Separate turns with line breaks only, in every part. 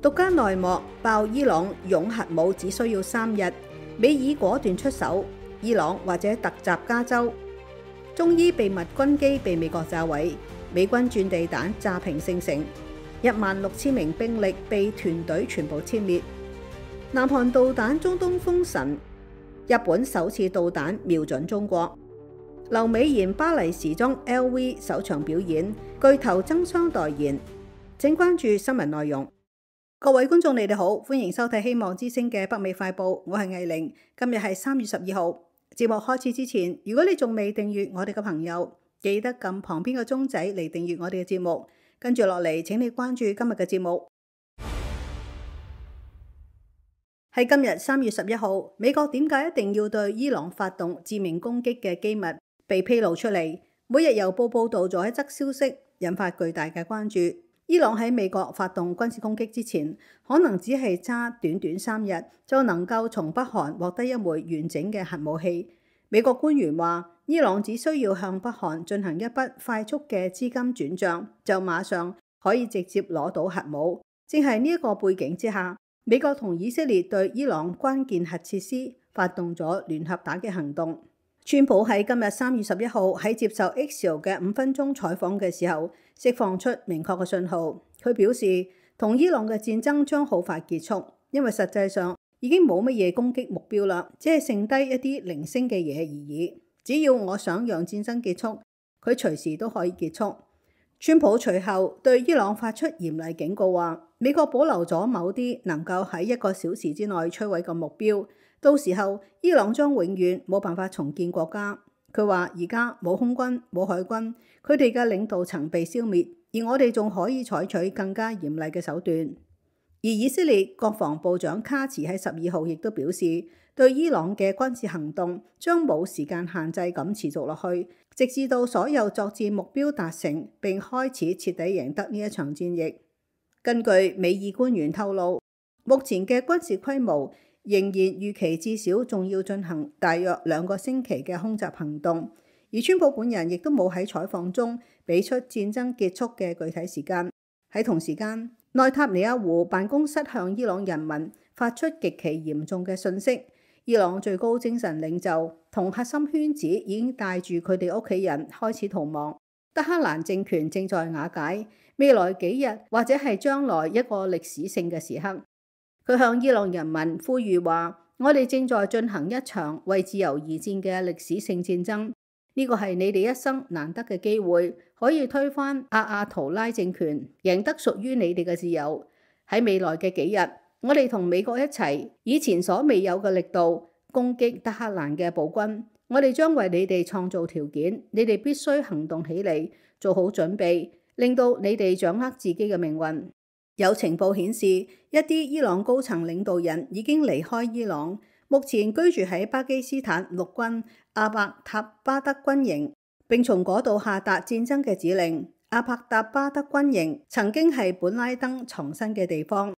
獨家內幕爆伊朗擁核武只需要3日，美爾果斷出手，伊朗或者突襲加州。中伊秘密軍機被美國炸毀，美軍鑽地彈炸平聖城，16000名兵力被團隊全部殲滅。南韓導彈中東封神，日本首次導彈瞄準中國。劉美賢巴黎時裝 LV 首場表演，巨頭爭相代言。請關注新聞內容。各位觀眾，你哋好，歡迎收睇希望之聲嘅北美快報，我係藝玲。今日係3月12號。節目開始之前，如果你仲未訂閱我哋嘅朋友，記得撳旁邊嘅鐘仔嚟訂閱我哋嘅節目。跟住落嚟，請你關注今日嘅節目。喺今日3月11號，美國點解一定要對伊朗發動致命攻擊嘅機密被披露出嚟，每日郵報報導咗一則消息，引發巨大嘅關注。伊朗喺美國發動軍事攻擊之前，可能只係揸短短3日就能夠從北韓獲得一枚完整嘅核武器。美國官員話，伊朗只需要向北韓進行一筆快速嘅資金轉賬，就馬上可以直接攞到核武。正係呢一個背景之下，美國同以色列對伊朗關鍵核設施發動咗聯合打擊行動。川普喺今日3月11號喺接受 Axios 嘅5分鐘採訪嘅時候，釋放出明確嘅信號。佢表示，同伊朗嘅戰爭將好快結束，因為實際上已經冇乜嘢攻擊目標啦，只係剩低一啲零星嘅嘢而已。只要我想讓戰爭結束，佢隨時都可以結束。川普隨後對伊朗發出嚴厲警告，話美國保留咗某啲能夠喺1個小時之內摧毀嘅目標。到時候，伊朗將永遠冇辦法重建國家。佢話而家冇空軍、冇海軍，佢哋嘅領導層被消滅，而我哋仲可以採取更加嚴厲嘅手段。而以色列國防部長卡茨喺12號亦都表示，對伊朗嘅軍事行動將冇時間限制咁持續落去，直至到所有作戰目標達成並開始徹底贏得呢一場戰役。根據美爾官員透露，目前嘅軍事規模仍然預期至少仲要進行大約2個星期嘅空襲行動，而川普本人亦都冇喺採訪中俾出戰爭結束嘅具體時間。喺同時間，內塔尼亞胡辦公室向伊朗人民發出極其嚴重嘅訊息，伊朗最高精神領袖同核心圈子已經帶住佢哋屋企人開始逃亡，德黑蘭政權正在瓦解，未來幾日或者係將來一個歷史性嘅時刻。佢向伊朗人民呼籲話，我哋正在進行一場為自由而戰嘅歷史性戰爭，呢個係你哋一生難得嘅機會，可以推翻阿圖拉政權，贏得屬於你哋嘅自由。喺未來嘅幾日，我哋同美國一齊，以前所未有嘅力度攻擊德黑蘭嘅暴軍。我哋將為你哋創造條件，你哋必須行動起嚟，做好準備，令到你哋掌握自己嘅命運。有情報顯示，一啲伊朗高層領導人已經離開伊朗，目前居住喺巴基斯坦陸軍阿伯塔巴德軍營，並從嗰度下達戰爭嘅指令。阿伯塔巴德軍營曾經係本拉登藏身嘅地方。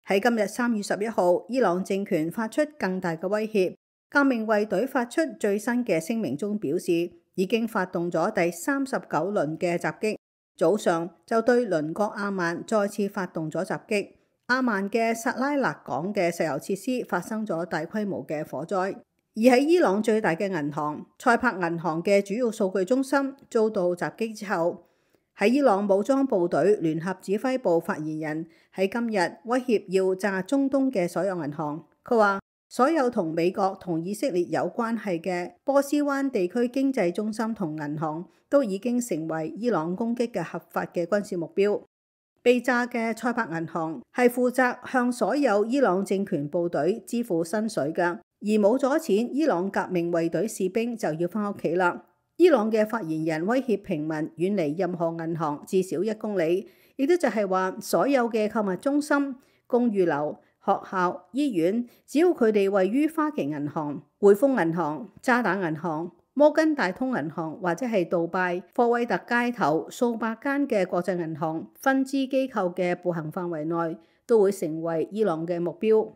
喺今日3月11號，伊朗政權發出更大嘅威脅。革命衛隊發出最新嘅聲明中表示，已經發動咗第39輪嘅襲擊。早上就對鄰國阿曼再次發動咗襲擊。阿曼嘅薩拉納港嘅石油設施發生咗大規模嘅火災，而喺伊朗最大嘅銀行塞柏銀行嘅主要數據中心遭到襲擊之後，喺伊朗武裝部隊聯合指揮部發言人喺今日威脅要炸中東嘅所有銀行。佢話，所有同美國同以色列有關係嘅波斯灣地區經濟中心同銀行都已經成為伊朗攻擊嘅合法嘅軍事目標。被炸嘅塞柏銀行係負責向所有伊朗政權部隊支付薪水嘅，而冇咗錢，伊朗革命衛隊士兵就要返屋企啦。伊朗嘅發言人威脅平民遠離任何銀行至少1公里，亦都就係話所有嘅購物中心、公寓樓、學校、醫院，只要佢哋位於花旗銀行、匯豐銀行、渣打銀行、摩根大通銀行或者係杜拜科威特街頭數百間嘅國際銀行分支機構嘅步行範圍內，都會成為伊朗嘅目標。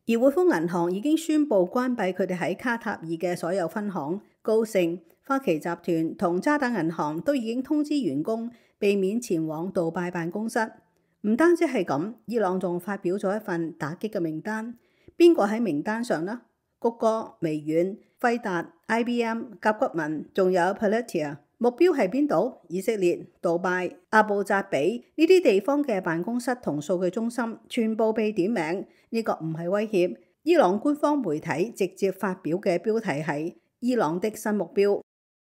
而匯豐銀行已經宣布關閉佢哋喺卡塔爾嘅所有分行。高盛、花旗集團同渣打銀行都已經通知員工避免前往杜拜辦公室。唔單止係咁，伊朗仲發表咗一份打擊嘅名單。邊個喺名單上呢？谷歌、微軟、輝達、IBM、甲骨文，仲有 Palantir。目標係邊度？以色列、杜拜、阿布扎比呢啲地方嘅辦公室同數據中心全部被點名。呢個唔係威脅。伊朗官方媒體直接發表嘅標題係伊朗的新目標。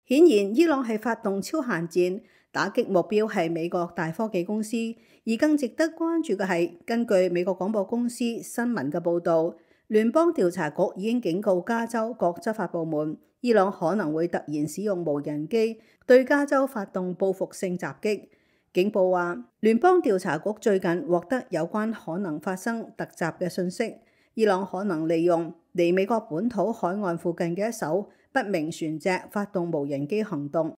顯然，伊朗係發動超限戰，打擊目標係美國大科技公司。而更值得關注嘅係，根據美國廣播公司新聞嘅報導，聯邦調查局已經警告加州各執法部門，伊朗可能會突然使用無人機對加州發動報復性襲擊。警報話，聯邦調查局最近獲得有關可能發生突襲嘅訊息，伊朗可能利用離美國本土海岸附近嘅一艘不明船隻發動無人機行動。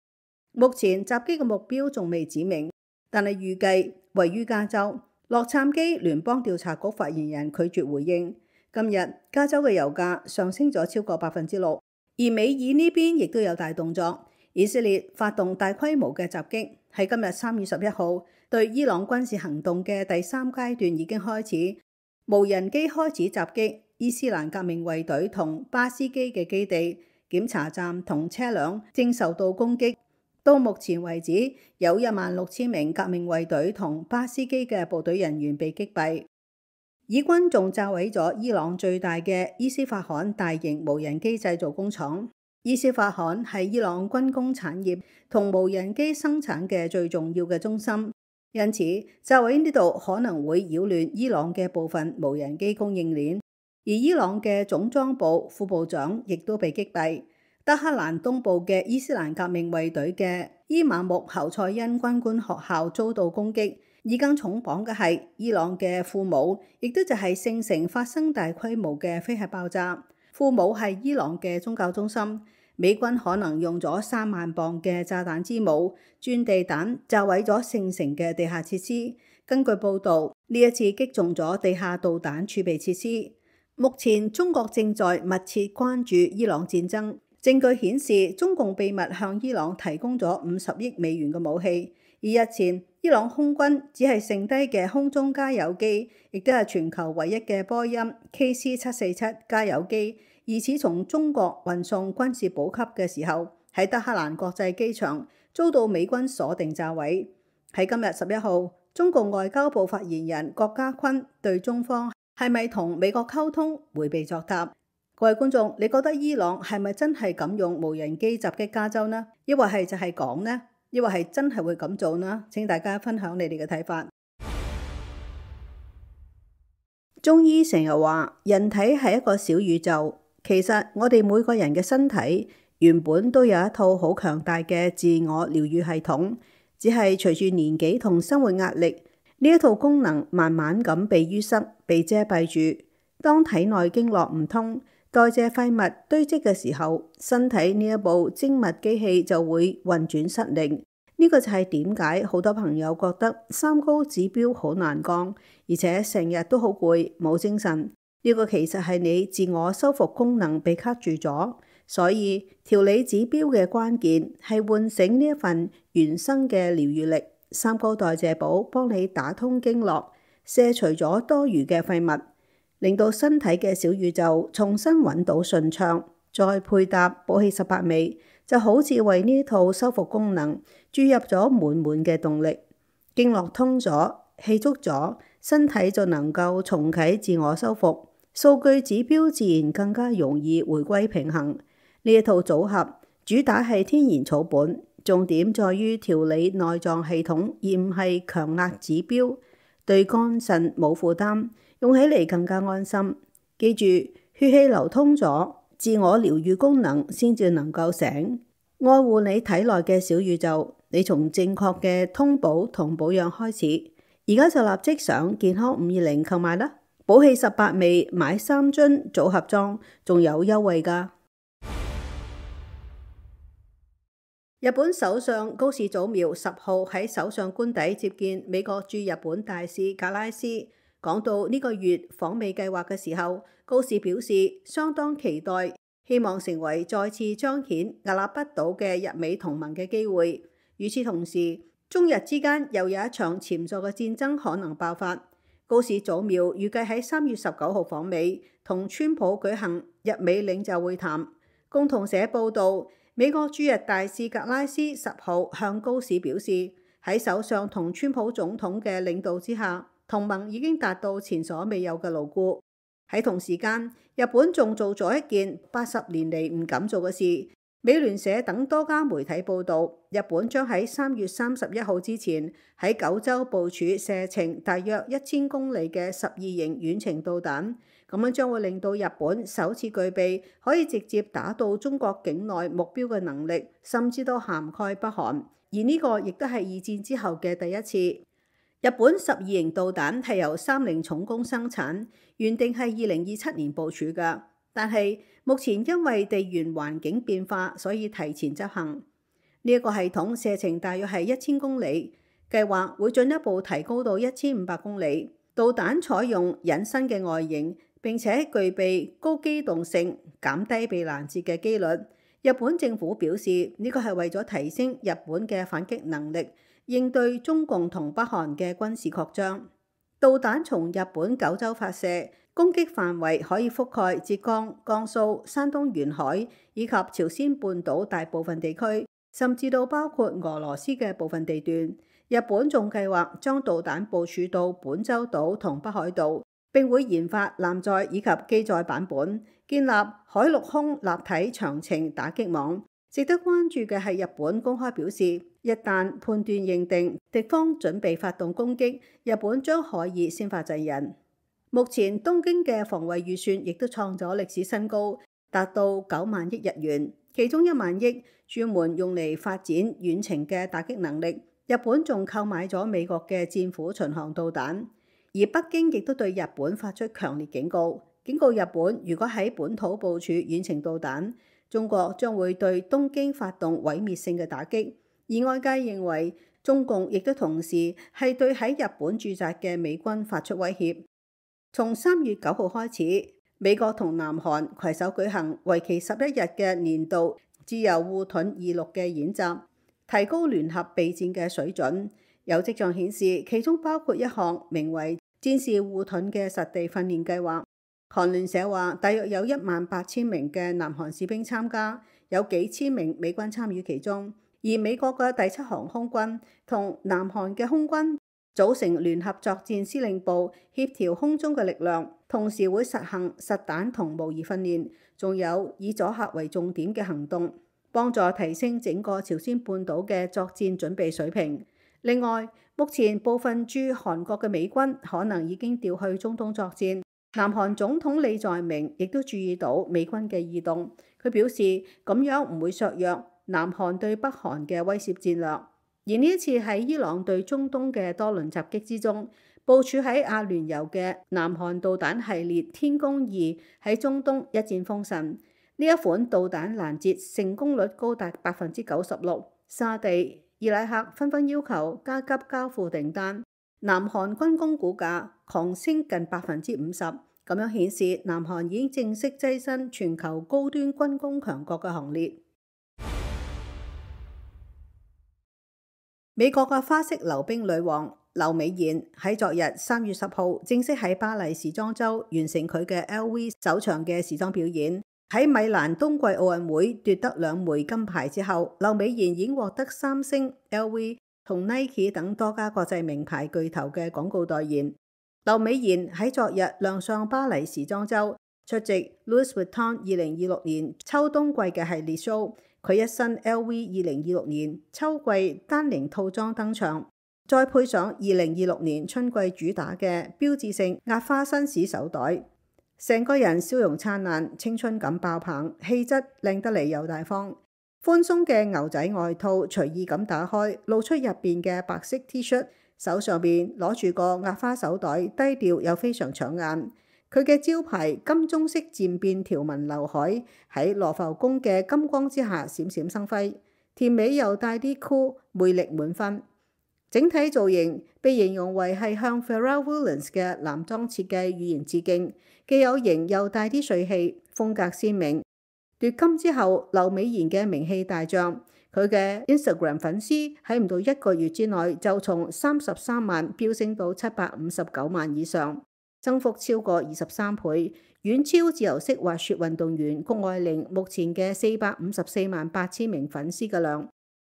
目前襲擊嘅目標仲未指明，但係預計位於加州。洛杉磯聯邦調查局發言人拒絕回應。今日加州嘅油價上升咗超過6%，而美爾呢邊亦都有大動作。以色列發動大規模嘅襲擊，喺今日3月11號對伊朗軍事行動嘅第3階段已經開始，無人機開始襲擊伊斯蘭革命衛隊同巴斯基嘅基地、檢查站同車輛正受到攻擊。到目前為止，有16000名革命衛隊同巴斯基嘅部隊人員被擊斃。以軍仲炸毀咗伊朗最大嘅伊斯法罕大型無人機製造工廠。伊斯法罕係伊朗軍工產業同無人機生產嘅最重要嘅中心，因此炸毀呢度可能會擾亂伊朗嘅部分無人機供應鏈。而伊朗嘅總裝部副部長亦都被擊斃。德黑蘭東部嘅伊斯蘭革命衛隊嘅伊馬木侯賽因軍官學校遭到攻擊，而更重磅嘅係伊朗嘅庫姆，亦都就係聖城發生大規模嘅飛核爆炸。庫姆係伊朗嘅宗教中心，美軍可能用咗3萬磅嘅炸彈之母鑽地彈炸毀咗聖城嘅地下設施。根據報導，呢一次擊中咗地下導彈儲備設施。目前中國正在密切關注伊朗戰爭。證據顯示，中共秘密向伊朗提供咗50億美元嘅武器。而日前，伊朗空軍只係剩低嘅空中加油機，亦都係全球唯一嘅波音 KC-747加油機，疑似從中國運送軍事補給嘅時候，喺德黑蘭國際機場遭到美軍鎖定炸毀。喺今日11號，中共外交部發言人郭家坤對中方係咪同美國溝通迴避作答。各位觀眾，你覺得伊朗係咪真係敢用無人機襲擊加州呢？抑或係就係講呢？抑或係真係會咁做呢？請大家分享你哋嘅睇法。中醫成日話人體係一個小宇宙，其實我哋每個人嘅身體原本都有一套好強大嘅自我療癒系統，只係隨住年紀同生活壓力，呢一套功能慢慢咁被淤塞、被遮蔽住。當體內經絡唔通，代謝廢物堆積嘅時候，身體呢一部精密機器就會運轉失靈。呢個就係點解好多朋友覺得三高指標好難降，而且成日都好攰、冇精神。呢個其實係你自我修復功能被卡住咗。所以調理指標嘅關鍵係喚醒呢一份原生嘅療癒力。三高代謝寶幫你打通經絡，卸除咗多餘嘅廢物，令到身體嘅小宇宙重新揾到順暢，再配搭補氣18味，就好似為呢套修復功能注入咗滿滿嘅動力。經絡通咗，氣足咗，身體就能夠重啟自我修復，數據指標自然更加容易回歸平衡。呢一套組合主打係天然草本，重點在於調理內臟系統，而唔係強壓指標，對肝腎冇負擔。用起嚟更加安心。記住，血氣流通咗，自我療癒功能先至能夠醒。愛護你體內嘅小宇宙，你從正確嘅通補同保養開始。而家就立即上健康520購買啦！補氣18味買3樽組合裝，仲有優惠㗎。日本首相高市早苗10號喺首相官邸接見美國駐日本大使格拉斯。講到呢個月訪美計劃嘅時候，高市表示相當期待，希望成為再次彰顯屹立不倒嘅日美同盟嘅機會。與此同時，中日之間又有一場潛在嘅戰爭可能爆發。高市早苗預計喺3月19號訪美，同川普舉行日美領袖會談。共同社報導，美國駐日大使格拉斯10號向高市表示，喺首相同川普總統嘅領導之下，同盟已經達到前所未有嘅牢固。喺同時間，日本仲做咗一件80年嚟唔敢做嘅事。美聯社等多家媒體報導，日本將喺3月31號之前喺九州部署射程大約1000公里嘅12型遠程導彈，咁樣將會令到日本首次具備可以直接打到中國境內目標嘅能力，甚至都涵蓋北韓。而呢個亦都係二戰之後嘅第一次。日本12型導彈係由三菱重工生產，原定係2027年部署㗎。但係目前因為地緣環境變化，所以提前執行。呢一個系統射程大約係1000公里，計劃會進一步提高到1500公里。導彈採用隱身嘅外形，並且具備高機動性，減低被攔截嘅機率。日本政府表示，呢個係為咗提升日本嘅反擊能力，應對中共同北韓嘅軍事擴張。導彈從日本九州發射，攻擊範圍可以覆蓋浙江、江蘇、山東沿海以及朝鮮半島大部分地區，甚至到包括俄羅斯嘅部分地段。日本仲計劃將導彈部署到本州島同北海道，並會研發艦載以及機載版本，建立海陸空立體長程打擊網。值得關注嘅係日本公開表示，一旦判斷認定敵方準備發動攻擊，日本將可以先發制人。目前東京嘅防衛預算亦都創咗歷史新高，達到9萬億日元，其中1萬億專門用嚟發展遠程嘅打擊能力。日本仲購買咗美國嘅戰斧巡航導彈，而北京亦都對日本發出強烈警告，警告日本如果喺本土部署遠程導彈，中國將會對東京發動毀滅性嘅打擊。而外界認為中共亦都同時係對喺日本駐紮嘅美軍發出威脅。從3月9號開始，美國同南韓攜手舉行為期11日嘅年度自由護盾26嘅演習，提高聯合備戰嘅水準。有跡象顯示，其中包括一項名為戰士護盾嘅實地訓練計劃。韓聯社話，大約有18000名嘅南韓士兵參加，有幾千名美軍參與其中。而美國嘅第7航空軍同南韓嘅空軍組成聯合作戰司令部，協調空中嘅力量，同時會實行實彈同模擬訓練，仲有以阻嚇為重點嘅行動，幫助提升整個朝鮮半島嘅作戰準備水平。另外，目前部分駐韓國嘅美軍可能已經調去中東作戰。南韓總統李在明亦都注意到美軍嘅異動，佢表示咁樣唔會削弱南韓對北韓嘅威懾戰略。而呢一次喺伊朗對中東嘅多輪襲擊之中，部署喺阿聯酋嘅南韓導彈系列天宮2喺中東一戰封神。呢一款導彈攔截成功率高達96%，沙地、伊拉克紛紛要求加急交付訂單，南韓軍工股價狂升近50%，咁樣顯示南韓已經正式躋身全球高端軍工強國嘅行列。美國嘅花式溜冰女王劉美妍喺昨日3月10號正式喺巴黎時裝週完成佢嘅 LV 首場嘅時裝表演。喺米蘭冬季奧運會奪得2枚金牌之後，劉美妍已經獲得三星、LV 同 Nike 等多家國際名牌巨頭嘅廣告代言。劉美妍喺昨日亮相巴黎時裝週，出席 Louis Vuitton 2026年秋冬季嘅系列 show。佢一身 LV 2026年秋季丹寧套裝登場，再配上2026年春季主打嘅標誌性壓花紳士手袋，成個人笑容燦爛，青春感爆棚，氣質靚得嚟又大方。寬鬆嘅牛仔外套隨意咁打開，露出入邊嘅白色 T 恤，手上邊攞住個壓花手袋，低調又非常搶眼。佢嘅招牌金棕色漸變條紋劉海喺羅浮宮嘅金光之下閃閃生輝，甜美又帶啲酷，魅力滿分。整體造型被形容為係向 Pharrell Williams 嘅男裝設計語言致敬，既有型又帶啲帥氣，風格鮮明。奪金之後，劉美妍嘅名氣大漲，佢嘅 Instagram 粉絲喺唔到1個月之內就從33萬飆升到759萬以上，增幅超過23倍，遠超自由式滑雪運動員谷愛凌目前嘅454萬8千名粉絲嘅量。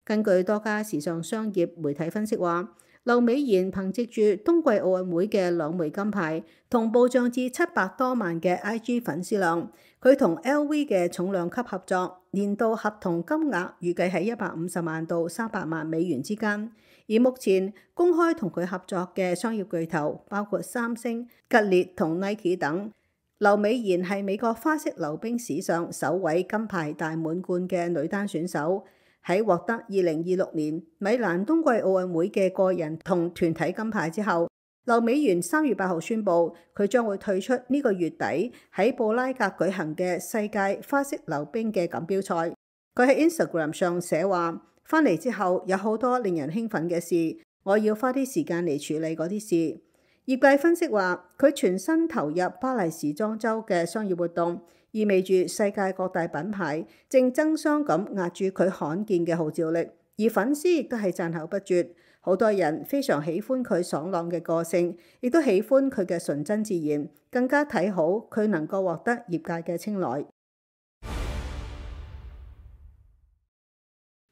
根據多家時尚商業媒體分析話，劉美妍憑藉住冬季奧運會嘅2枚金牌，同步漲至700多萬嘅 IG 粉絲量。佢同 LV 嘅重量級合作，年度合同金額預計喺150萬到300萬美元之間。而目前公開同佢合作嘅商業巨頭包括三星、吉列同 Nike 等。劉美妍係美國花式溜冰史上首位金牌大滿貫嘅女單選手。喺獲得2026年米蘭冬季奧運會嘅個人同團體金牌之後，劉美妍3月8號宣布佢將會退出呢個月底喺布拉格舉行嘅世界花式溜冰嘅錦標賽。佢喺 Instagram 上寫話：翻嚟之後有好多令人興奮嘅事，我要花啲時間嚟處理嗰啲事。業界分析話，佢全身投入巴黎時裝週嘅商業活動，意味住世界各大品牌正爭相咁壓住佢罕見嘅號召力，而粉絲亦都係讚口不絕。好多人非常喜歡佢爽朗嘅個性，亦都喜歡佢嘅純真自然，更加睇好佢能夠獲得業界嘅青睞。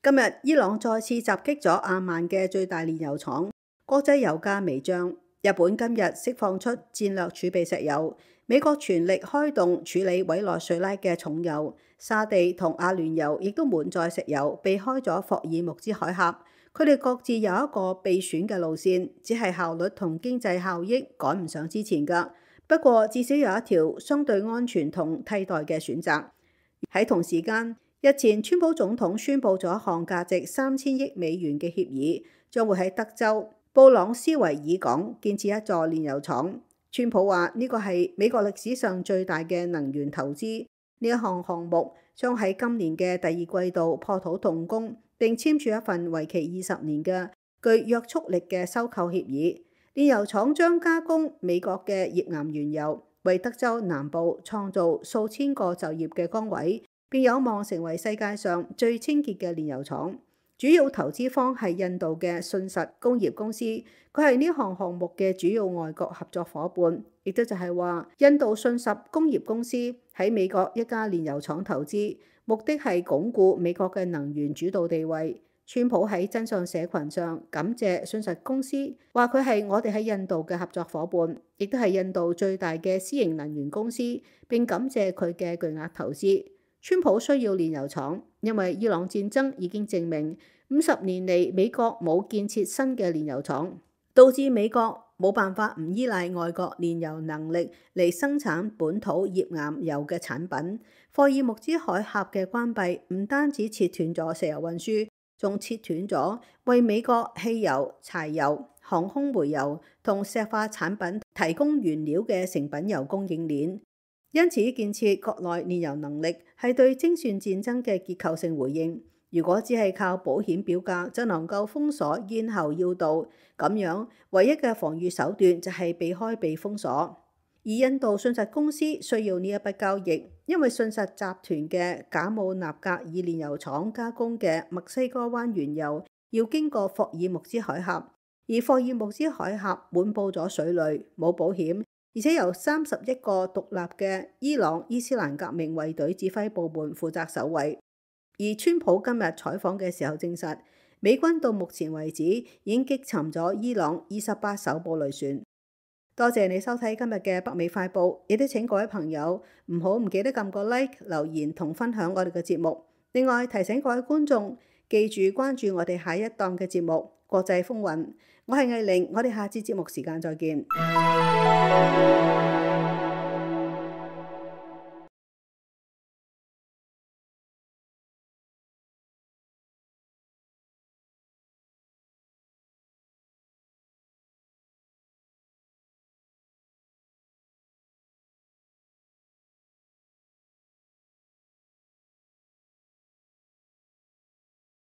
今日伊朗再次襲擊咗阿曼嘅最大煉油廠，國際油價微漲。日本今日釋放出戰略儲備石油，美國全力開動處理委內瑞拉嘅重油，沙地同阿聯酋亦都滿載石油，避開咗霍爾木茲海峽。佢哋各自有一個備選嘅路線，只係效率同經濟效益趕唔上之前㗎。不過至少有一條相對安全同替代嘅選擇。喺同時間，日前川普總統宣布咗一項價值3000億美元嘅協議，將會喺德州布朗斯維爾港建設一座煉油廠。川普話呢個係美國歷史上最大嘅能源投資，呢一項項目將喺今年嘅第2季度破土動工，並簽署一份為期20年嘅具約束力嘅收購協議。煉油廠將加工美國嘅頁岩原油，為德州南部創造數千個就業嘅崗位，並有望成為世界上最清潔嘅煉油廠。主要投資方係印度嘅信實工業公司，佢係呢項項目嘅主要外國合作伙伴，亦都就係話印度信實工業公司喺美國一家煉油廠投資，目的係鞏固美國嘅能源主導地位。川普喺真相社群上感謝信實公司，話佢係我哋喺印度嘅合作伙伴，亦都係印度最大嘅私營能源公司，並感謝佢嘅巨額投資。川普需要煉油廠，因為伊朗戰爭已經證明50年嚟美國冇建設新嘅煉油廠，導致美國冇辦法唔依賴外國煉油能力嚟生產本土頁岩油嘅產品。霍爾木茲海峽嘅關閉唔單止切斷咗石油運輸，仲切斷咗為美國汽油、柴油、航空煤油同石化產品提供原料嘅成品油供應鏈。因此，建設國內煉油能力係對精算戰爭嘅結構性回應。如果只係靠保險表價就能夠封鎖咽喉要道，咁樣唯一嘅防禦手段就係避開被封鎖。而印度信實公司需要呢一筆交易，因為信實集團嘅賈姆納格爾煉油廠加工嘅墨西哥灣原油要經過霍爾木茲海峽，而霍爾木茲海峽滿佈咗水雷，冇保險。而且由31個獨立嘅伊朗伊斯蘭革命衛隊指揮部門負責守衛。而川普今日採訪嘅時候證實，美軍到目前為止已經擊沉咗伊朗28艘布雷船。多謝你收睇今日嘅北美快報，亦都請各位朋友唔記得撳個 like、留言同分享我哋嘅節目。另外提醒各位觀眾記住關注我哋下一檔嘅節目《國際風雲》。我係藝玲，我哋下次節目時間再見。